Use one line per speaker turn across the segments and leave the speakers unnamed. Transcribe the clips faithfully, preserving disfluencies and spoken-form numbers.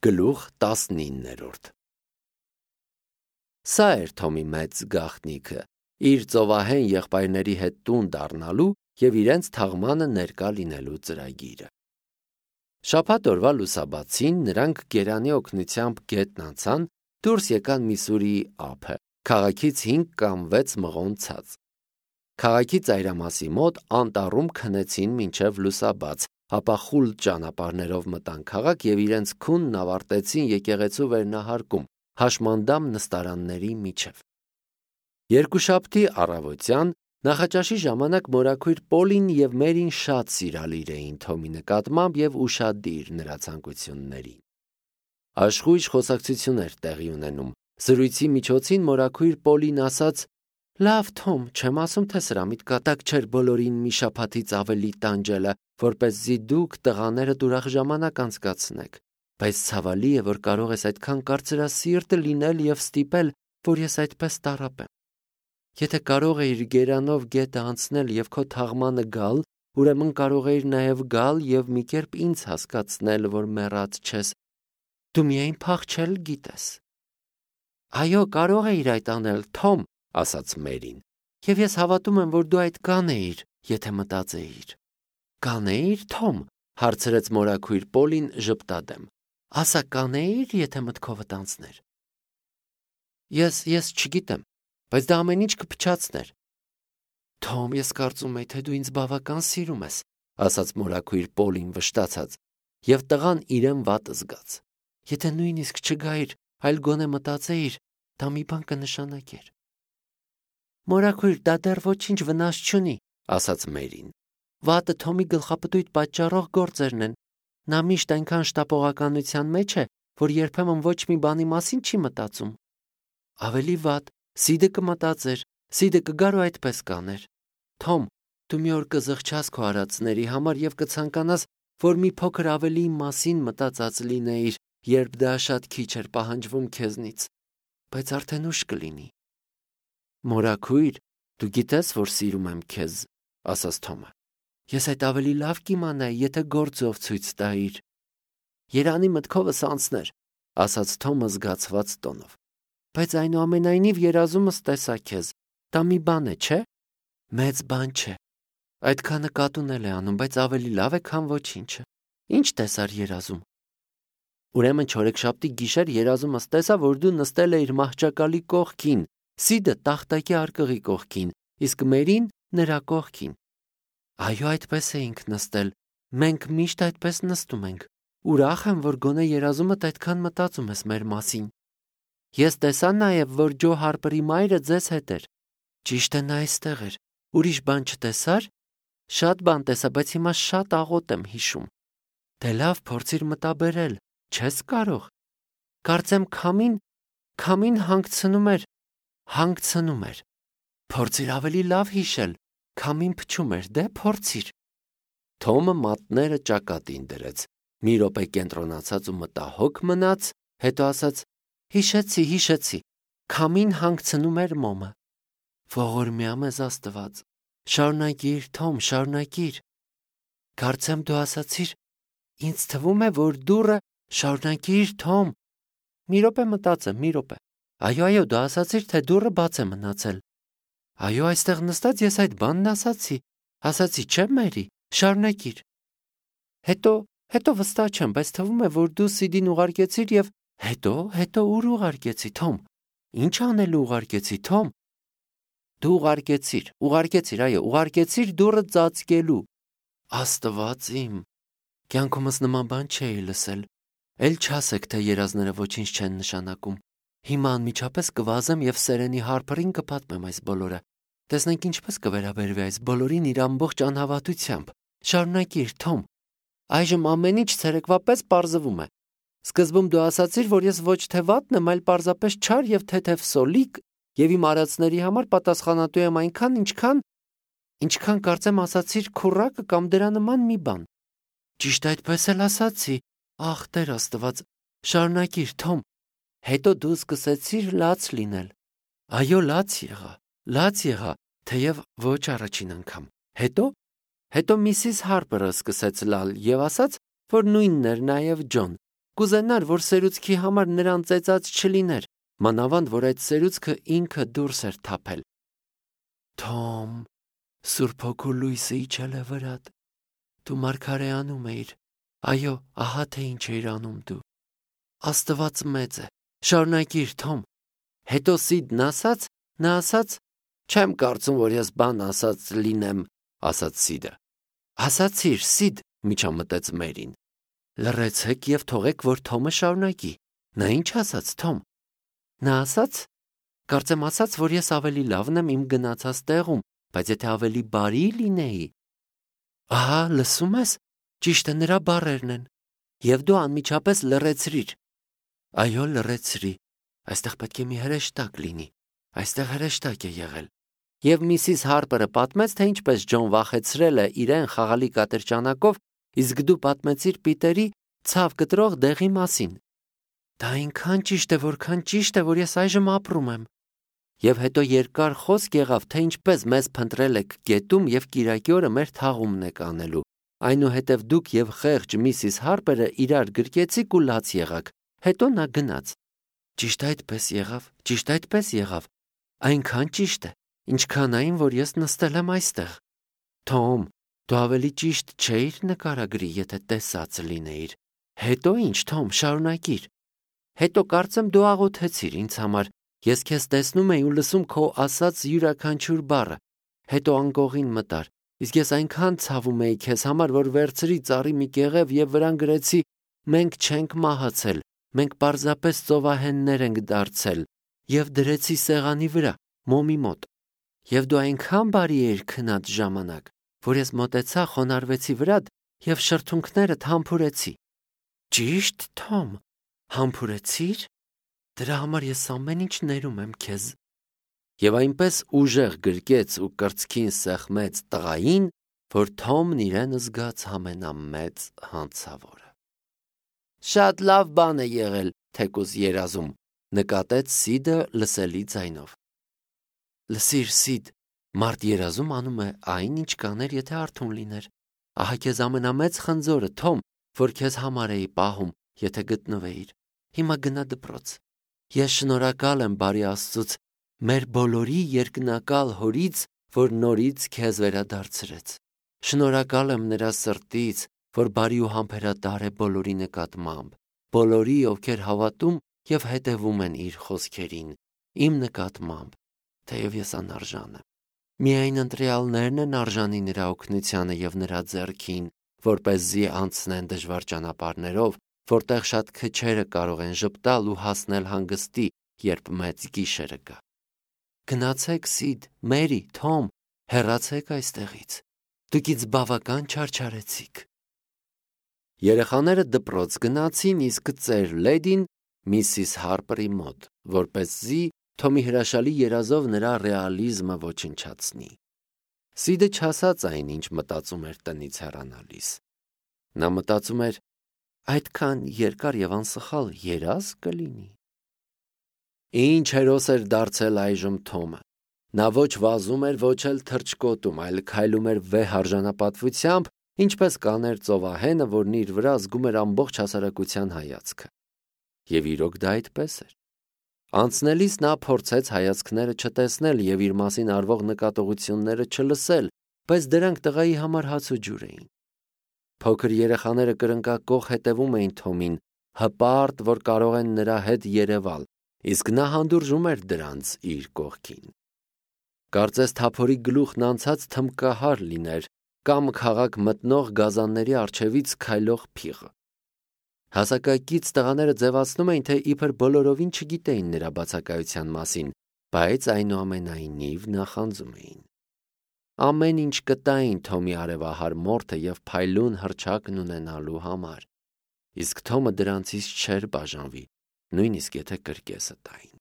Գլուխ տասնիններորդ Սա էր Թոմի մեծ գաղտնիքը, իր ծովահեն եղբայրների հետ տուն դառնալու և իրենց թաղմանը ներկա լինելու ծրագիրը։ Շաբաթ օրվա լուսաբացին նրանք գերանի օգնությամբ գետն անցան, դուրս եկան Միսուրիի ափը, քաղաքից հինգ կամ վեց մղոն ցած։ Քաղաքի ծայրամասի մոտ անտառում քնեցին մինչև լուսաբաց, ապա խուլ ճանապարհներով մտան քաղաք և իրենց քունն ավարտեցին եկեղեցու վերնահարկում, հաշմանդամ նստարանների միջև։ Երկուշաբթի առավոտյան նախաճաշի ժամանակ մորաքույր Պոլին և Մերին շատ սիրալիր էին Թոմի նկատմամբ և ուշադիր նրա ցանկություններին։ Աշխույժ խոսակցություն էր տեղի ունենում։ Զրույցի միջոցին մորաքույր Պոլին ասաց. «Լավ, Թոմ, չեմ ասում, թե սրա միտքատակ չէր բոլորին մի շաբաթից ավելի տանջելը, որպեսզի դուք տղաներդ ուրախ ժամանակ անցկացնեք, բայց ցավալի է, որ կարող ես այդքան կարծրասիրտ լինել և ստիպել, որ ես այդպես տառապեմ։ Եթե կարող էիր գերանով գետը անցնել և քո թաղմանը գալ, ուրեմն կարող էիր նաև գալ և մի կերպ ինձ հասկացնել, որ մեռած չես, դու միայն փախչել գիտես»։ «Այո, կարող էիր այդ անել, Թոմ», ասաց Մերին, «և ես հավատում եմ, որ դու այդ կանեիր, եթե մտածեիր»։ «Կանեի՞ր, Թոմ», հարցրեց մորաքույր Պոլին ժպտադեմ, «ասա կանեի՞ր, եթե մտքովդ անցներ»։ Ես, ես չգիտեմ, բայց դա ամեն ինչ կփչացներ։ «Թոմ, ես կարծում էի, թե դու ինձ բավական սիրում ես», ասաց մորաքույր Պոլին վշտացած, և տղան իրեն վատ զգաց։ «Եթե նույնիսկ չգայիր, այլ գոնե մտածեիր, դա մի բան կնշանակեր»։ «Մորաքույր, դա դեռ ոչինչ վնաս չունի», ասաց Մերին։ «Վատը Թոմի գլխապտույտ պատճառող գործերն են։ Նա միշտ այնքան շտապողականության մեջ է, որ երբեմն ոչ մի բանի մասին չի մտածում»։ «Ավելի վատ, Սիդը կմտածեր, Սիդը կգար ու այդպես կաներ։ Թոմ, դու մի օր կզղջաս քո արածների համար և կցանկանաս, որ մի փոքր ավելի իմ մասին մտածած լինեիր, երբ դա շատ քիչ էր պահանջվում քեզնից, բայց արդեն ուշ կլինի»։ «Մորաքույր, դու գիտես, որ սիրում եմ քեզ», ասաց Թոմը։ «Ես այդ ավելի լավ կիմանայի, եթե գործով ցույց տայիր»։ «Երանի մտքովս անցներ», ասաց Թոմը զգացված տոնով։ «Բայց այնուամենայնիվ երազումս տեսա քեզ, դա մի բան է, չէ՞։ Մեծ բան չէ։ Այդքանը կատուն էլ է անում, բայց ավելի լավ է, քան ոչինչը։ Ինչ տեսար երազում»։ «Ուրեմն չորեքշաբթի գիշեր երազումս տեսա, որ դու նստել էիր մահճակալի կողքին, Սիդը տախտակի արկղի կողքին, իսկ Մերին նրա կողքին»։ «Այո, այդպես էինք նստել, մենք միշտ այդպես նստում ենք։ Ուրախ եմ, որ գոնե երազումդ այդքան մտածում ես մեր մասին։ Ես տեսա նաև, որ Ջո Հարպերի մայրը ձեզ հետ էր։ Ճիշտ է, նա այստեղ էր։ Ուրիշ բան չտեսա՞ր։ Շատ բան տեսա, բայց հիմա շատ աղոտ եմ հիշում։ Դե լավ, փորձիր մտաբերել, չես կարող։ Կարծեմ քամին, քամին հանգցնում էր, հանգցնում էր։ Փորձիր ավելի լավ հիշել, քամին փչում էր, դե փորձիր»։ Թոմը մատները ճակատին դրեց, մի րոպե կենտրոնացած ու մտահոգ մնաց, հետո ասաց. «Հիշեցի, հիշեցի, քամին հանգցնում էր մոմը»։ «Ողորմյա մեզ Աստված, շարունակիր, Թոմ, շարունակիր»։ «Կարծեմ դու ասացիր, ինձ թվում է, որ դուռը, շարունակիր, Թոմ»։ «Մի րոպե մտածեմ, մի րոպե։ Այո, այո, դու ասացիր, թե դուռը բաց է մնացել»։ «Այո, այստեղ նստած ես այդ բանն ասացի, ասացի, չէ՞ Մերի, շարունակիր»։ «Հետո, հետո վստահ չեմ, բայց թվում է, որ դու Սիդին ուղարկեցիր և հետո, հետո ուր ուղարկեցի, Թոմ։ Ինչ անելու ուղարկեցի, Թոմ։ Դու ուղարկեցիր, ուղարկեցիր, այո, ուղարկեցիր դուռը ծածկելու։ Աստված իմ, կյանքումս նման բան չէի լսել։ Էլ չասեք, թե երազները ոչինչ չեն նշանակում։ Հիմա անմիջապես կվազեմ և Սերենի Հարպերին կպատմեմ այս բոլորը։ Տեսնենք ինչպես կվերաբերվի այս բոլորին իր ամբողջ անհավատությամբ։ Շարունակիր, Թոմ։ Այժմ ամեն ինչ ցերեկվա պես պարզվում է։ Սկզբում դու ասացիր, որ ես ոչ թե վատն եմ, այլ պարզապես չար և թեթև սոլիկ, և իմ արածների համար պատասխանատու եմ այնքան, ինչքան, ինչքան կարծեմ ասացիր քուռակը կամ դրա նման մի բան։ Ճիշտ այդպես էլ ասացի։ Ախ, Տեր Աստված, շարունակիր, Թոմ։ Հետո դու սկսեցիր լաց լինել։ Այո, լաց եղա, լաց եղա, թեև ոչ առաջին անգամ։ Հետո, հետո Միսիս Հարպերը սկսեց լալ և ասաց, որ նույնն էր նաև Ջոն, կուզենար, որ սերուցքի համար նրան ծեծած չլիներ, մանավանդ որ այդ սերուցքը ինքը դուրս էր թափել։ Թոմ, Սուրբ Հոգու լույսը իջել է վրադ։ Դու մարգարեանում էիր։ Այո, ահա թե ինչ էիր անում դու։ Աստված մեծ է։ Շարունակիր, Թոմ։ Հետո Սիդն ասաց, նա ասաց, չեմ կարծում, որ ես բան ասած լինեմ, ասաց Սիդը։ Ասացիր, Սիդ, միջամտեց Մերին։ Լռեցեք եւ թողեք, որ Թոմը շարունակի։ Նա ինչ ասաց, Թոմ։ Նա ասաց, կարծեմ ասաց, որ ես ավելի լավն եմ իմ գնացած տեղում, բայց եթե ավելի բարի լինեի։ Ահա, լսում ես, ճիշտ է, նրա բառերն են։ Եվ դու անմիջապես լռեցրիր։ Այո, լռեցրի։ Այստեղ պետք է մի հրեշտակ լինի։ Այստեղ հրեշտակ է եղել։ Եվ Միսիս Հարպերը պատմեց, թե ինչպես Ջոն վախեցրել է իրեն խաղալի կատրճանակով, իսկ դու պատմեցիր Պիտերի ցավ կտրող դեղի մասին։ Դա այնքան ճիշտ է, որքան ճիշտ է, որ ես այժմ ապրում եմ։ Եվ հետո երկար խոսք եղավ, թե ինչպես մեզ փնտրել եք գետում եւ կիրակի օրը մեր թաղումն եք անելու։ Այնուհետև դուք եւ խեղճ Միսիս Հարպերը իրար գրկեցիք ու լաց եղաք։ Հետո նա գնաց։ Ճիշտ այդպես եղավ, ճիշտ այդպես եղավ։ Այնքան ճիշտ է, ինչքան այն, որ ես նստել եմ այստեղ։ Թոմ, դու ավելի ճիշտ չէիր նկարագրի, եթե տեսած լինեիր։ Հետո ինչ, Թոմ, շարունակիր։ Հետո կարծեմ դու աղոթեցիր ինձ համար։ Ես քեզ տեսնում էի ու լսում քո ասած յուրաքանչյուր բառը։ Հետո անկողին մտար։ Իսկ ես այնքան ցավում էի քեզ համար, որ վերցրի ծառի մի կեղև եւ վրան գրեցի. մենք չենք մահացել, մենք պարզապես ծովահեններ ենք դարձել, եւ դրեցի սեղանի վրա, մոմի մոտ։ Եվ դու այնքան բարի էիր քնած ժամանակ, որ ես մոտեցա, խոնարհվեցի վրադ եւ շրթունքներդ համբուրեցի։ Ճիշտ, Թոմ, համբուրեցիր։ Դրա համար ես ամեն ինչ ներում եմ քեզ։ Եվ այնպես ուժեղ գրկեց ու կրծքին սեղմեց տղային, որ Թոմն իրեն զգաց ամենամեծ հանցավորը։ Շատ լավ բան է եղել, թեկուզ երազում, նկատեց Սիդը լսելի ձայնով։ Լսիր, Սիդ, մարդ երազում անում է այն, ինչ կաներ, եթե արթուն լիներ։ Ահա քեզ ամենամեծ խնձորը, Թոմ, որ քեզ համար էի պահում, եթե գտնվեիր։ Հիմա գնա դպրոց։ Ես շնորհակալ եմ բարի Աստծուց, մեր բոլորի երկնակալ Հորից, որ նորից քեզ վերադարձրեց։ Շնորհակալ եմ նրա սրտից, որ բարի ու համբերատար է բոլորի նկատմամբ, բոլորի, ովքեր հավատում եւ հետևում են իր խոսքերին, իմ նկատմամբ, թեև ես անարժան եմ։ Միայն ընտրյալներն են արժանի նրա օգնությանը եւ նրա ձեռքին, որպեսզի անցնեն դժվար ճանապարհներով, որտեղ շատ քչերը կարող են ժպտալ ու հասնել հանգստի, երբ մեծ գիշերը գա։ Գնացեք, Սիդ, Մերի, Թոմ, հեռացեք այստեղից։ Դուք ինձ բավական չարչարեցիք։ Երեխաները դպրոց գնացին, իսկ ծեր լեդին Միսիս Հարպերի մոտ, որպեսզի Թոմի հրաշալի երազով նրա ռեալիզմը ոչնչացնի։ Սիդը չասաց այն, ինչ մտածում էր տնից հեռանալիս։ Նա մտածում էր, այդքան երկար եւ անսխալ երազ կլինի։ Ինչ հերոս էր դարձել այժմ Թոմը։ Նա ոչ վազում էր, ոչ էլ թռչկոտում, այլ քայլում էր վեհ արժանապատվությամբ, ինչպես կաներ ծովահենը, որն իր վրա զգում էր ամբողջ հասարակության հայացքը։ Եվ իրոք դա այդպես էր։ Անցնելիս նա փորձեց հայացքները չտեսնել եւ իր մասին արվող նկատողությունները չլսել, բայց դրանք տղայի համար հաց ու ջուր էին։ Փոքր երեխաները կրնկակող հետևում էին Թոմին, հպարտ, որ կարող են նրա հետ երևալ, իսկ նա հանդուրժում էր դրանց իր կողքին։ Կարծես թափորի գլուխն անցած թմկահար լիներ կամ քաղաք մտնող գազանների առջևից քայլող փիղ։ Հասակակից տղաները ձևացնում էին, թե իբր բոլորովին չգիտեին նրա բացակայության մասին, բայց այնուամենայնիվ նախանձում էին։ Ամեն ինչ կտային Թոմի արևահար մորթը եւ փայլուն հռչակն ունենալու համար, իսկ Թոմը դրանցից չէր բաժանվի, նույնիսկ եթե կրկեսը տային։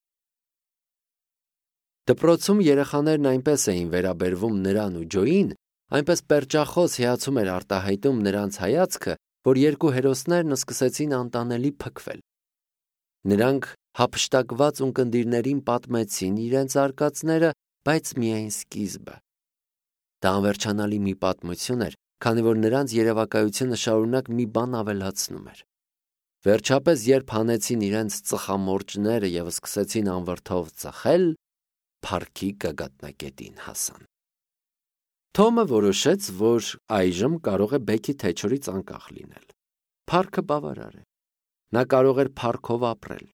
Դպրոցում երեխաներն այնպես էին վերաբերվում նրան ու Ջոյին, այնպես պերճախոս հիացում էր արտահայտում նրանց հայացքը, որ երկու հերոսներն սկսեցին անտանելի փքվել։ Նրանք հափշտակված ունկնդիրներին պատմեցին իրենց արկածները, բայց միայն սկիզբը։ Դա անվերջանալի մի պատմություն էր, քանի որ նրանց երևակայությունը շարունակ մի բան ավելացնում էր։ Վերջապես, երբ հանեցին իրենց ծխամորճները և սկսեցին անվրդով ծխել, փառքի գագաթնակետին հասան։ Թոմը որոշեց, որ այժմ կարող է Բեքի թեչորից անկախ լինել։ Փառքը բավարար է։ Նա կարող էր փառքով ապրել։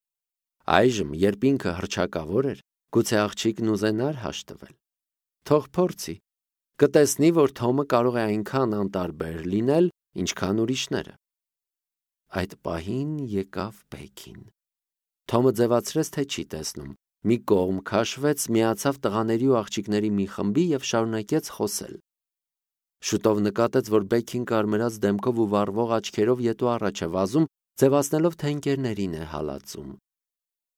Այժմ, երբ ինքը հռչակավոր էր, գուցե աղջիկն ուզենար հաշտվել։ Թող փորձի։ Կտեսնի, որ Թոմը կարող է այնքան անտարբեր լինել, ինչքան ուրիշները։ Այդ պահին եկավ Բեքին։ Թոմը ձևացրեց, թե չի տեսնում։ Մի կողմ քաշվեց, միացավ տղաների ու աղջիկների մի խմբի և շարունակեց խոսել։ Շուտով նկատեց, որ Բեքին կարմրած դեմքով ու վառվող աչքերով ետ ու առաջ է վազում, ձևացնելով, թե ընկերներին է հալածում։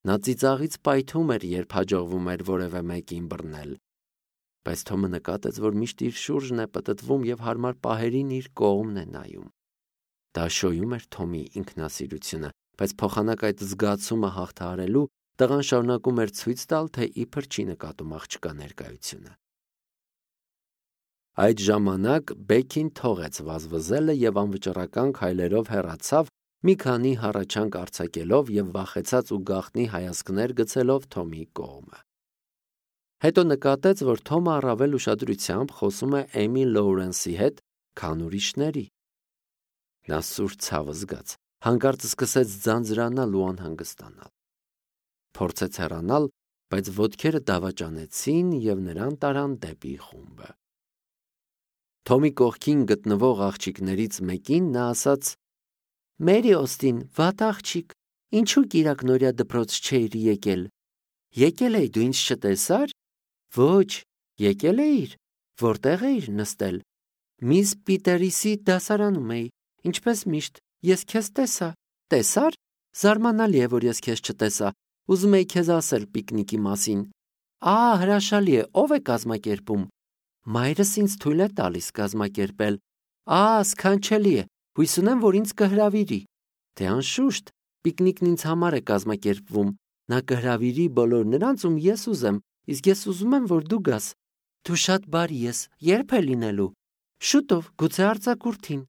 Նա ծիծաղից պայթում էր, երբ հաջողվում էր որևէ մեկին բռնել։ Բայց Թոմը նկատեց, որ միշտ իր շուրջն է պտտվում և հարմար պահերին իր կողմն է նայում։ Դա շոյում էր Թոմի ինքնասիրությունը, բայց փոխանակ այդ զգացումը հաղթահարելու, տղան շարունակում էր ցույց տալ, թե իբր չի նկատում աղջկա ներկայությունը։ Այդ ժամանակ Բեքին թողեց վազվզելը և անվճռական քայլերով հեռացավ, մի քանի հառաչանք արձակելով և վախեցած ու գաղտնի հայացքներ գցելով Թոմի կողմը։ Հետո նկատեց, որ Թոմը առավել ուշադրությամբ խոսում է Էմի Լոուրենսի հետ, քան ուրիշների։ Նա սուր ցավ զգաց, հանկարծ սկսեց ձանձրանալ ու անհանգստանալ։ Փորձեց հեռանալ, բայց ոտքերը դավաճանեցին և նրան տարան դեպի խումբը։ Թոմի կողքին գտնվող աղջիկներից մեկին նա ասաց. «Մերի Օստին, վատ աղջիկ, ինչու կիրակնօրյա դպրոց չէիր եկել։ Եկել էի, դու ինձ չտեսա՞ր։ Ոչ, եկել էիր, որտեղ էիր նստել։ Միս Պիտերիսի դասարանում էի, ինչպես միշտ, ես քեզ տեսա։ Տեսա՞ր։ Զարմանալի է, որ ես քեզ չտեսա։ Ուզում էի քեզ ասել պիկնիկի մասին։ Ահա հրաշալի է, ով է կազմակերպում։ Մայրս ինձ թույլ է տալիս կազմակերպել։ Ահա սքանչելի է, հույս ունեմ, որ ինձ կհրավիրի։ Դե անշուշտ, պիկնիկն ինձ համար է կազմակերպվում։ Նա կհրավիրի բոլոր նրանց, ում ես ուզեմ, իսկ ես ուզում եմ, որ դու գաս։ Դու շատ բարի ես, ե՞րբ է լինելու։ Շուտով, գուցե արձակուրդին։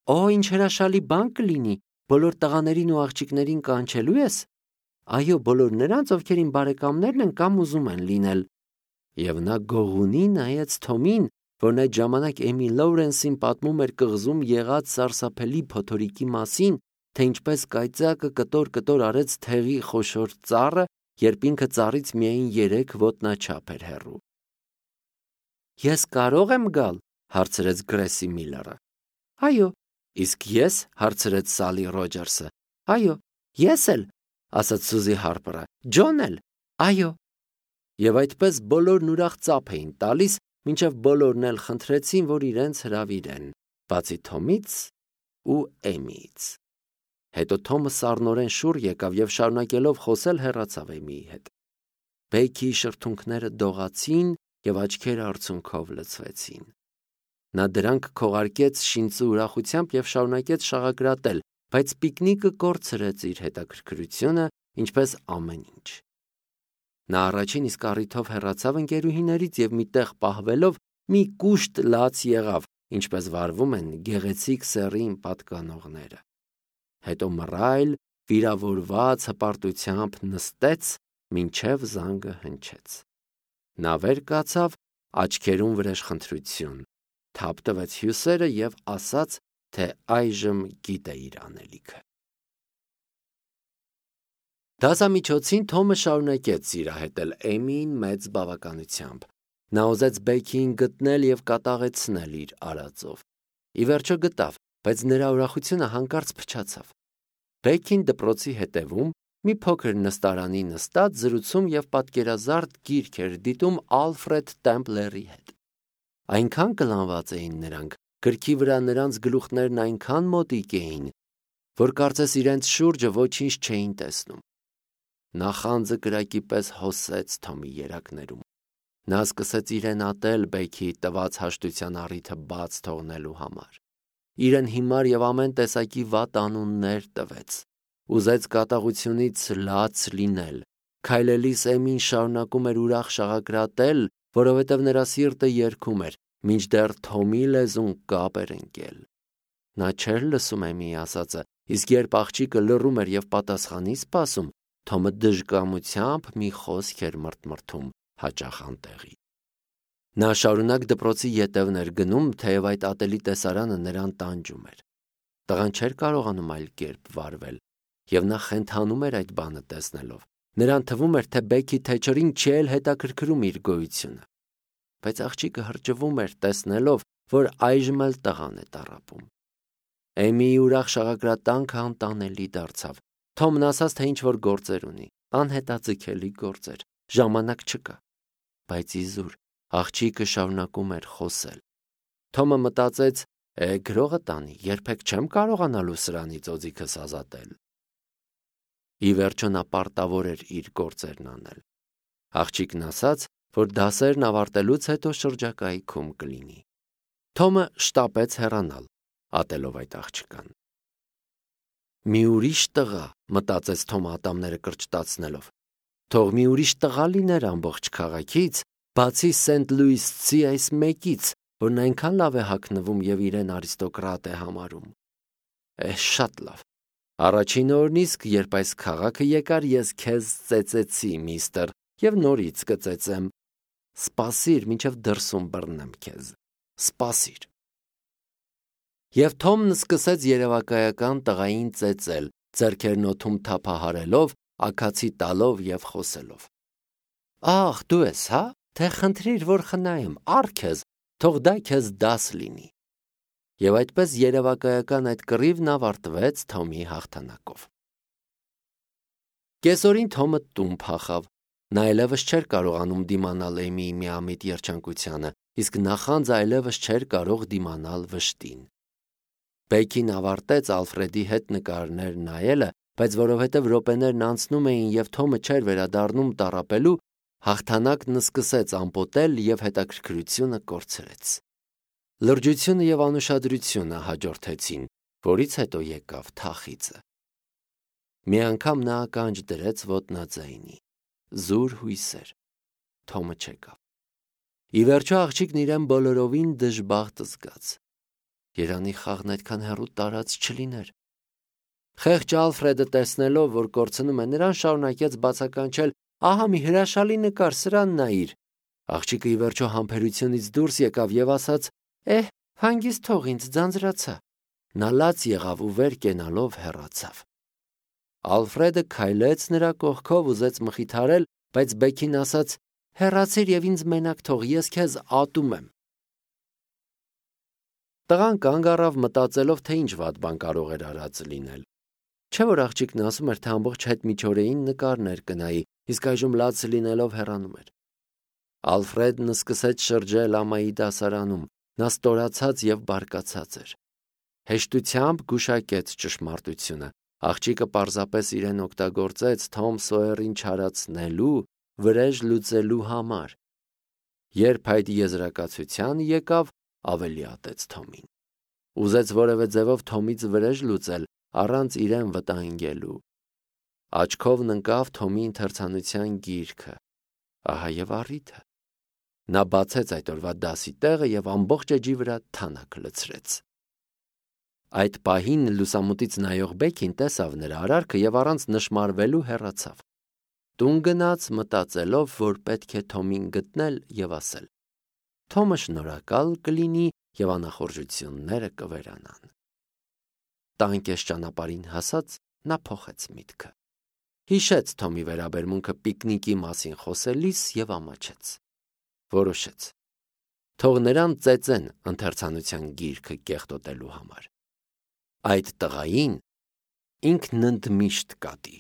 Օ, ինչ հրաշալի բան կլինի, բոլոր տղաներին ու աղջիկներին կանչելու ես։ Այո, բոլոր նրանց, ովքեր իմ բարեկամներն են կամ ուզում են լինել։ Եվ նա գողունի նայեց Թոմին, որն այդ ժամանակ Էմի Լոուրենսին պատմում էր կղզում եղած սարսափելի փոթորիկի մասին, թե ինչպես կայծակը կտոր-կտոր արեց թեղի խոշոր ծառը, երբ ինքը ծառից միայն երեք ոտնաչափ էր հեռու։ Ես կարո՞ղ եմ գալ, հարցրեց Գրեսի Միլլերը։ Այո։ Իսկ ես, հարցրեց Սալի Ռոջերսը։ Այո, ես էլ, ասաց Սուզի Հարպերը։ Ջոն էլ։ Այո։ Եվ այդպես բոլորն ուրախ ծափ էին տալիս, մինչև բոլորն էլ խնդրեցին, որ իրենց հրավիրեն, բացի Թոմից ու Էմիից։ Հետո Թոմը սառնորեն շուռ եկավ և շարունակելով խոսել հեռացավ Էմիի հետ։ Բեքի շրթունքները դողացին և աչքերը արցունքով լցվեցին։ Նա դրանք քողարկեց շինծու ուրախությամբ և շարունակեց շաղակրատել, բայց պիկնիկը կորցրեց իր հետաքրքրությունը, ինչպես ամեն ինչ։ Նա առաջին իսկ առիթով հեռացավ ընկերուհիներից և մի տեղ պահվելով մի կուշտ լաց եղավ, ինչպես վարվում են գեղեցիկ սեռին պատկանողները։ Հետո մռայլ, վիրավորված հպարտությամբ նստեց, մինչև զանգը հնչեց։ Նա վեր կացավ, աչքերում վրեժխնդրություն, թափ տվեց հյուսերը և ասաց, թե այժմ գիտե իր անելիքը։ Դասամիջոցին Թոմը շարունակեց սիրահետել Էմիին մեծ բավականությամբ։ Նա ուզեց Բեքիին գտնել և կատաղեցնել իր արածով։ Ի վերջո գտավ, բայց նրա ուրախությունը հանկարծ փչացավ։ Բեքին դպրոցի հետևում մի փոքր նստարանի նստած զրուցում և պատկերազարդ գիրք էր դիտում Ալֆրեդ Տեմպլերի հետ։ Այնքան կլանված էին նրանք, գրքի վրա նրանց գլուխներն այնքան մոտիկ էին, որ կարծես իրենց շուրջը ոչինչ չէին տեսնում։ Նախանձը կրակի պես հոսեց Թոմի երակներում։ Նա սկսեց իրեն ատել Բեքիի տված հաշտության առիթը բաց թողնելու համար։ Իրեն հիմար և ամեն տեսակի վատ անուններ տվեց։ Ուզեց կատաղությունից լաց լինել։ Քայլելիս Էմին շարունակում էր ուրախ շաղակրատել, որովհետև նրա սիրտը երգում էր, մինչդեռ Թոմի լեզուն կապ էր ընկել։ Նա չէր լսում Էմիի ասածը, իսկ երբ աղջիկը լռում էր եւ պատասխանի սպասում, Թոմը դժկամությամբ մի խոսք էր մրթմրթում հաճախ անտեղի։ Նա շարունակ դպրոցի ետևն էր գնում, թեև այդ ատելի տեսարանը նրան տանջում էր։ Տղան չէր կարողանում այլ կերպ վարվել, եւ նա խենթանում էր այդ բանը տեսնելով։ Նրան թվում էր, թե Բեքի Թեչերին չի էլ հետաքրքրում իր գոյությունը։ Բայց աղջիկը հրճվում էր տեսնելով, որ այժմ էլ տղան է տառապում։ Էմիի ուրախ շաղակրատանքը անտանելի դարձավ։ Թոմն ասաց, թե ինչ-որ գործեր ունի, անհետաձգելի գործեր, ժամանակ չկա։ Բայց իզուր աղջիկը շարունակում էր խոսել։ Թոմը մտածեց, է գրողը տանի, երբեք չեմ կարողանալու սրանից օձիքս ազատել։ Ի վերջո նա պարտավոր էր իր գործերն անել։ Աղջիկն ասաց, որ դասերն ավարտելուց հետո շրջակայքում կլինի։ Թոմը շտապեց հեռանալ, ատելով այդ աղջկան։ Մի ուրիշ տղա, մտածեց Թոմը ատամները կրճտացնելով։ Թող մի ուրիշ տղա լիներ ամբողջ քաղաքից, բացի Սենթ Լուիսցի այս մեկից, որն այնքան լավ է հագնվում եւ իրեն արիստոկրատ է համարում։ Է, շատ լավ։ Առաջին օրն իսկ, երբ այս քաղաքը եկար, ես քեզ ծեծեցի, միստր, եւ նորից կծեծեմ։ Սպասիր, մինչև դրսում բռնեմ քեզ։ Սպասիր։ Եվ Թոմն սկսեց երևակայական տղային ծեծել, ձեռքերն օդում թափահարելով, աքացի տալով եւ խոսելով։ Ահ, դու ես, հա՞, թե խնդրիր, որ խնայեմ, առ քեզ, թող դա քեզ դաս լինի։ Եվ այդպես երևակայական այդ կռիվն ավարտվեց Թոմի հաղթանակով։ Կեսօրին Թոմը տուն փախավ։ Նա այլևս չէր կարողանում դիմանալ Էմիի միամիտ երջանկությանը, իսկ նախանձ այլևս չէր կարող դիմանալ վշտին։ Բեքին ավարտեց Ալֆրեդի հետ նկարներ նայելը, բայց որովհետև րոպեներն անցնում էին եւ Թոմը չէր վերադառնում տառապելու, հաղթանակն սկսեց ամպոտել եւ հետաքրքրությունը կորցրեց։ Լրջությունը եւ անուշադրությունը հաջորդեցին, որից հետո եկավ թախիծը։ Մի անգամ նա ականջ դրեց ոտնաձայնի։ Զուր հույսեր։ Թոմը չեկավ։ Ի վերջո աղջիկն իրեն բոլորովին դժբախտ զգաց։ Երանի խաղն այդքան հեռու տարած չլիներ։ Խեղճ Ալֆրեդը տեսնելով, որ կորցնում է, նրան շարունակեց բացականչել. «Ահա մի հրաշալի նկար, սրան նայիր»։ Աղջիկը ի վերջո համբերությունից դուրս եկավ եւ ասաց. «Էհ, հանգիստ թող ինձ, ձանձրացա»։ Նա լաց եղավ ու վեր կենալով հեռացավ։ Ալֆրեդը քայլեց նրա կողքով, ուզեց մխիթարել, բայց Բեքին ասաց. «Հեռացիր եւ ինձ մենակ թող, ես քեզ ատում եմ»։ Տղան կանգ առավ մտածելով, թե ինչ վատ բան կարող էր արած լինել։ Չէ՞ որ աղջիկն ասում էր, թե ամբողջ հետմիջօրեին նկարներ կնայի, իսկ այժմ լաց լինելով հեռանում էր։ Ալֆրեդն սկսեց շրջել ամայի դասարանում, նա ստորացած եւ բարկացած էր։ Հեշտությամբ գուշակեց ճշմարտությունը։ Աղջիկը պարզապես իրեն օգտագործեց Թոմ Սոյերին չարացնելու, վրեժ լուծելու համար։ Երբ այդ եզրակացության եկավ, ավելի ատեց Թոմին։ Ուզեց որևէ ձևով Թոմից վրեժ լուծել, առանց իրեն վտանգելու։ Աչքովն ընկավ Թոմի ընթերցանության գիրքը։ Ահա եւ առիթը։ Նա բացեց այդ օրվա դասի տեղը եւ ամբողջ էջի վրա թանաք լցրեց։ Այդ պահին լուսամուտից նայող Բեքին տեսավ նրա արարքը եւ առանց նշմարվելու հեռացավ։ Տուն գնաց մտածելով, որ պետք է Թոմին գտնել եւ ասել։ Թոմը շնորհակալ կլինի եւ անախորժությունները կվերանան։ Տանկես ճանապարհին հասած նա փոխեց միտքը։ Հիշեց Թոմի վերաբերմունքը պիկնիկի մասին խոսելիս եւ ամաչեց։ Որոշեց. թող նրան ծեծեն ընթերցանության գիրքը կեղտոտելու համար։ Այդ տղային ինքն ընդմիշտ կատի։